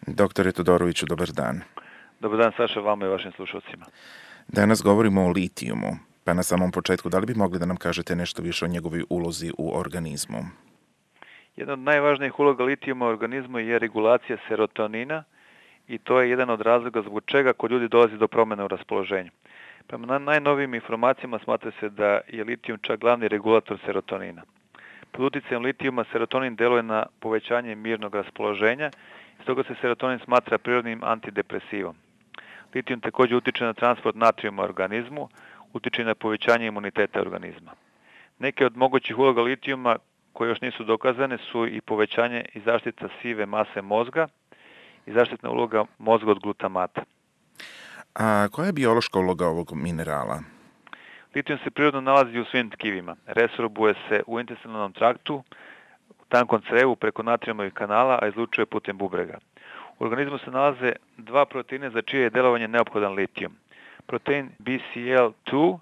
Doktore Todoroviću, dobar dan. Dobar dan, Saša, vama i vašim slušalcima. Danas govorimo o litijumu, pa na samom početku, da li bi mogli da nam kažete nešto više o njegovoj ulozi u organizmu? Jedna od najvažnijih uloga litijuma u organizmu je regulacija serotonina i to je jedan od razloga zbog čega kod ljudi dolazi do promjene u raspoloženju. Prema najnovijim informacijama smatra se da je litijum čak glavni regulator serotonina. Pod utjecajem litijuma serotonin deluje na povećanje mirnog raspoloženja, stoga se serotonin smatra prirodnim antidepresivom. Litijum također utiče na transport natrijuma u organizmu, utiče na povećanje imuniteta organizma. Neke od mogućih uloga litijuma koje još nisu dokazane su i povećanje i zaštita sive mase mozga i zaštitna uloga mozga od glutamata. A koja je biološka uloga ovog minerala? Litijum se prirodno nalazi u svim tkivima. Resorbuje se u intestinalnom traktu, u tankom crevu preko natrijumovih kanala, a izlučuje putem bubrega. U organizmu se nalaze dva proteina za čije je delovanje neophodan litijum. Protein BCL2,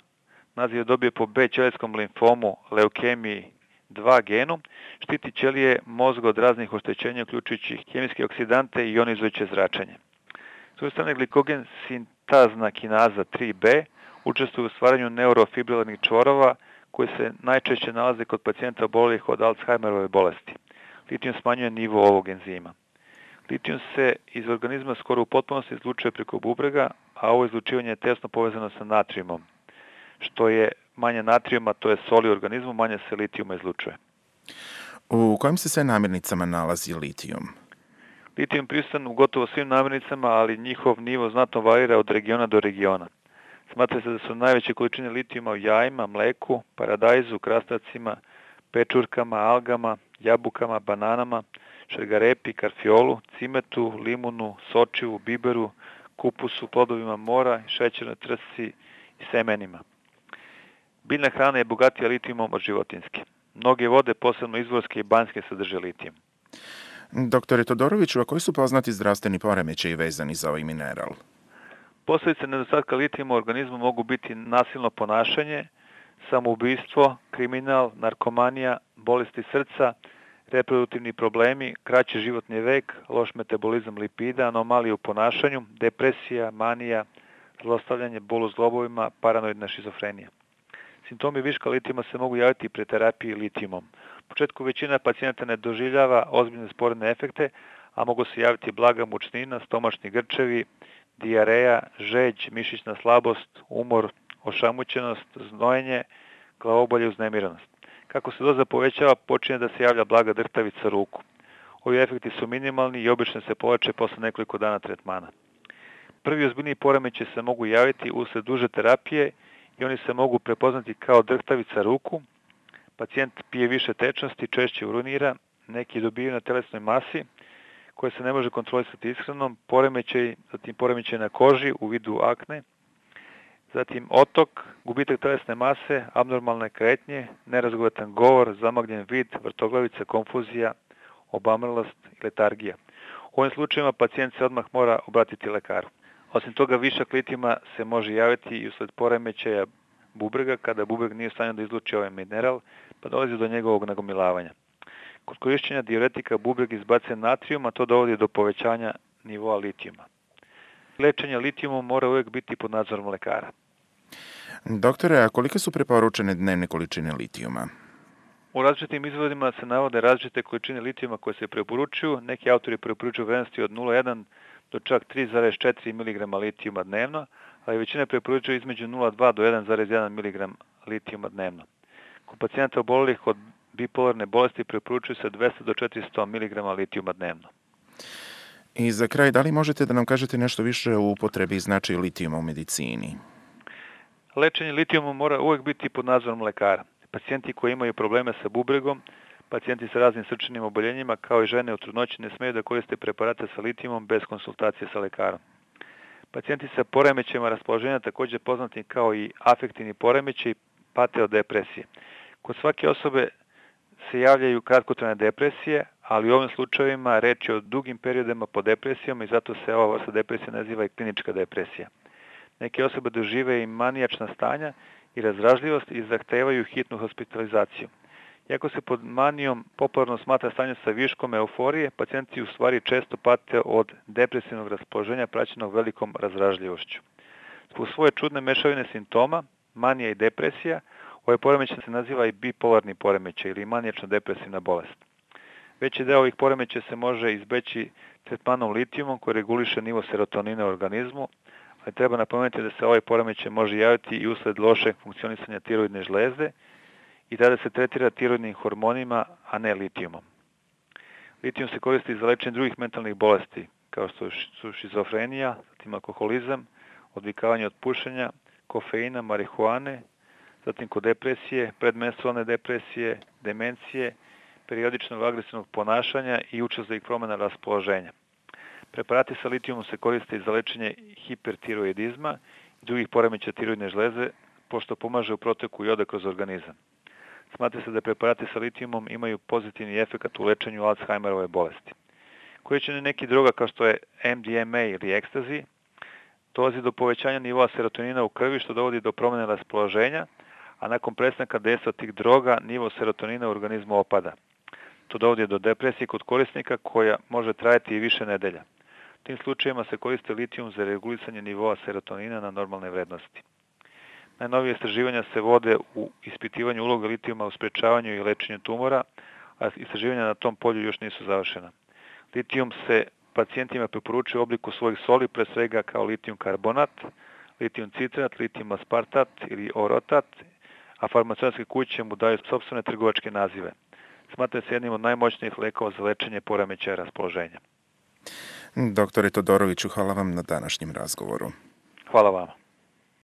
naziv je dobio po B ćelijskom limfomu, leukemiji 2 genu, štiti ćelije mozga od raznih oštećenja, uključujući hemijske oksidante i ionizujuće zračenje. S druge strane, glikogen sintazna kinaza 3B učestvuje u stvaranju neurofibrilarnih čvorova koji se najčešće nalaze kod pacijenta oboljelih od Alzheimerove bolesti. Litijum smanjuje nivo ovog enzima. Litijum se iz organizma skoro u potpunosti izlučuje preko bubrega, a ovo izlučivanje je tesno povezano sa natrijumom. Što je manje natrijuma, to je soli u organizmu, manje se litijuma izlučuje. U kojim se sve namirnicama nalazi litijum? Litijum prisutan u gotovo svim namirnicama, ali njihov nivo znatno varira od regiona do regiona. Smatra se da su najveće količine litijuma u jajima, mleku, paradajzu, krastavcima, pečurkama, algama, jabukama, bananama, šargarepi, karfiolu, cimetu, limunu, sočivu, biberu, kupusu, plodovima mora, šećernoj trsti i semenima. Biljna hrana je bogatija litijumom od životinjske. Mnoge vode, posebno izvorske i banjske, sadrže litijum. Doktore Todoroviću, a koji su poznati zdravstveni poremećaji vezani za ovaj mineral? Posljedice nedostatka litijuma u organizmu mogu biti nasilno ponašanje, samoubistvo, kriminal, narkomanija, bolesti srca, reproduktivni problemi, kraći životni vek, loš metabolizam lipida, anomalije u ponašanju, depresija, manija, zlostavljanje, bol u zglobovima, paranoidna šizofrenija. Simptomi viška litijuma se mogu javiti pri terapiji litijumom. U početku većina pacijenata ne doživljava ozbiljne sporedne efekte, a mogu se javiti blaga mučnina, stomačni grčevi, dijareja, žeđ, mišićna slabost, umor, ošamućenost, znojenje, glavobolje i uznemiranost. Kako se doza povećava, počinje da se javlja blaga drhtavica ruku. Ovi efekti su minimalni i obično se povlače posle nekoliko dana tretmana. Prvi ozbiljniji poremećaji se mogu javiti usled duže terapije i oni se mogu prepoznati kao drhtavica ruku. Pacijent pije više tečnosti, češće urinira, neki dobijaju na telesnoj masi koje se ne može kontrolisati ishranom, zatim poremećaj na koži u vidu akne, zatim otok, gubitak telesne mase, abnormalne kretnje, nerazgovatan govor, zamagljen vid, vrtoglavica, konfuzija, obamrlost i letargija. U ovim slučajevima pacijent se odmah mora obratiti lekaru. Osim toga, višak litijuma se može javiti i usled poremećaja bubrega, kada bubreg nije u stanju da izluči ovaj mineral, pa dolazi do njegovog nagomilavanja. Kod korišćenja diuretika bubreg izbacuje natrijum, a to dovodi do povećanja nivoa litijuma. Lečenje litijumom mora uvijek biti pod nadzorom lekara. Doktore, a kolike su preporučene dnevne količine litijuma? U različitim izvodima se navode različite količine litijuma koje se preporučuju. Neki autori preporučuju vrednosti od 0,1 do čak 3,4 mg litijuma dnevno, ali većina preporučuje između 0,2 do 1,1 mg litijuma dnevno. Kod pacijenta obolelih od bipolarne bolesti preporučuju se 200 do 400 mg litijuma dnevno. I za kraj, da li možete da nam kažete nešto više o upotrebi i značaju litijuma u medicini? Lečenje litijumom mora uvijek biti pod nadzorom lekara. Pacijenti koji imaju probleme sa bubregom, pacijenti sa raznim srčanim oboljenjima, kao i žene u trudnoći ne smeju da koriste preparate sa litijumom bez konsultacije sa lekarom. Pacijenti sa poremećajima raspoloženja, također poznati kao i afektivni poremećaj, pate od depresije. Kod svake osobe se javljaju kratkotrajne depresije, ali u ovim slučajevima reč je o dugim periodima pod depresijom i zato se ova vrsta depresije naziva i klinička depresija. Neke osobe dožive i manijačna stanja i razdražljivost i zahtevaju hitnu hospitalizaciju. Iako se pod manijom popularno smatra stanje sa viškom euforije, pacijenti u stvari često pate od depresivnog raspoloženja praćenog velikom razdražljivošću. Zbog svoje čudne mešavine simptoma, manija i depresija, ovaj poremećaj se naziva i bipolarni poremećaj ili manijačno-depresivna bolest. Veći deo ovih poremećaja se može izbeći tretmanom litijumom koji reguliše nivo serotonina u organizmu, ali treba napomenuti da se ovaj poremećaj može javiti i usled lošeg funkcionisanja tiroidne žlezde i tada se tretira tiroidnim hormonima, a ne litijumom. Litijum se koristi za lečenje drugih mentalnih bolesti, kao što su šizofrenija, zatim alkoholizam, odvikavanje od pušenja, kofeina, marihuane, zatim kod depresije, predmenstrualne depresije, demencije, periodičnog agresivnog ponašanja i učestalih promjena raspoloženja. Preparati sa litijumom se koriste za lečenje hipertiroidizma i drugih poremećaja tiroidne žleze, pošto pomaže u proteku jode kroz organizam. Smatra se da preparati sa litijumom imaju pozitivni efekat u lečenju Alzheimerove bolesti. Korišćenje nekih droga kao što je MDMA ili ekstazi dolazi do povećanja nivoa serotonina u krvi što dovodi do promjene raspoloženja, a nakon prestanka dejstva tih droga nivo serotonina u organizmu opada. To dovodi do depresije kod korisnika koja može trajati i više nedelja. U tim slučajevima se koriste litijum za regulisanje nivoa serotonina na normalne vrednosti. Najnovije istraživanja se vode u ispitivanju uloga litijuma u sprečavanju i lečenju tumora, a istraživanja na tom polju još nisu završena. Litijum se pacijentima preporučuje u obliku svojih soli, pre svega kao litijum karbonat, litijum citrat, litijum aspartat ili orotat, a farmaceutske kuće mu daju sopstvene trgovačke nazive. Smatra se jednim od najmoćnijih lekova za lečenje poremećaja raspoloženja. Doktore Todoroviću, hvala vam na današnjem razgovoru. Hvala vama.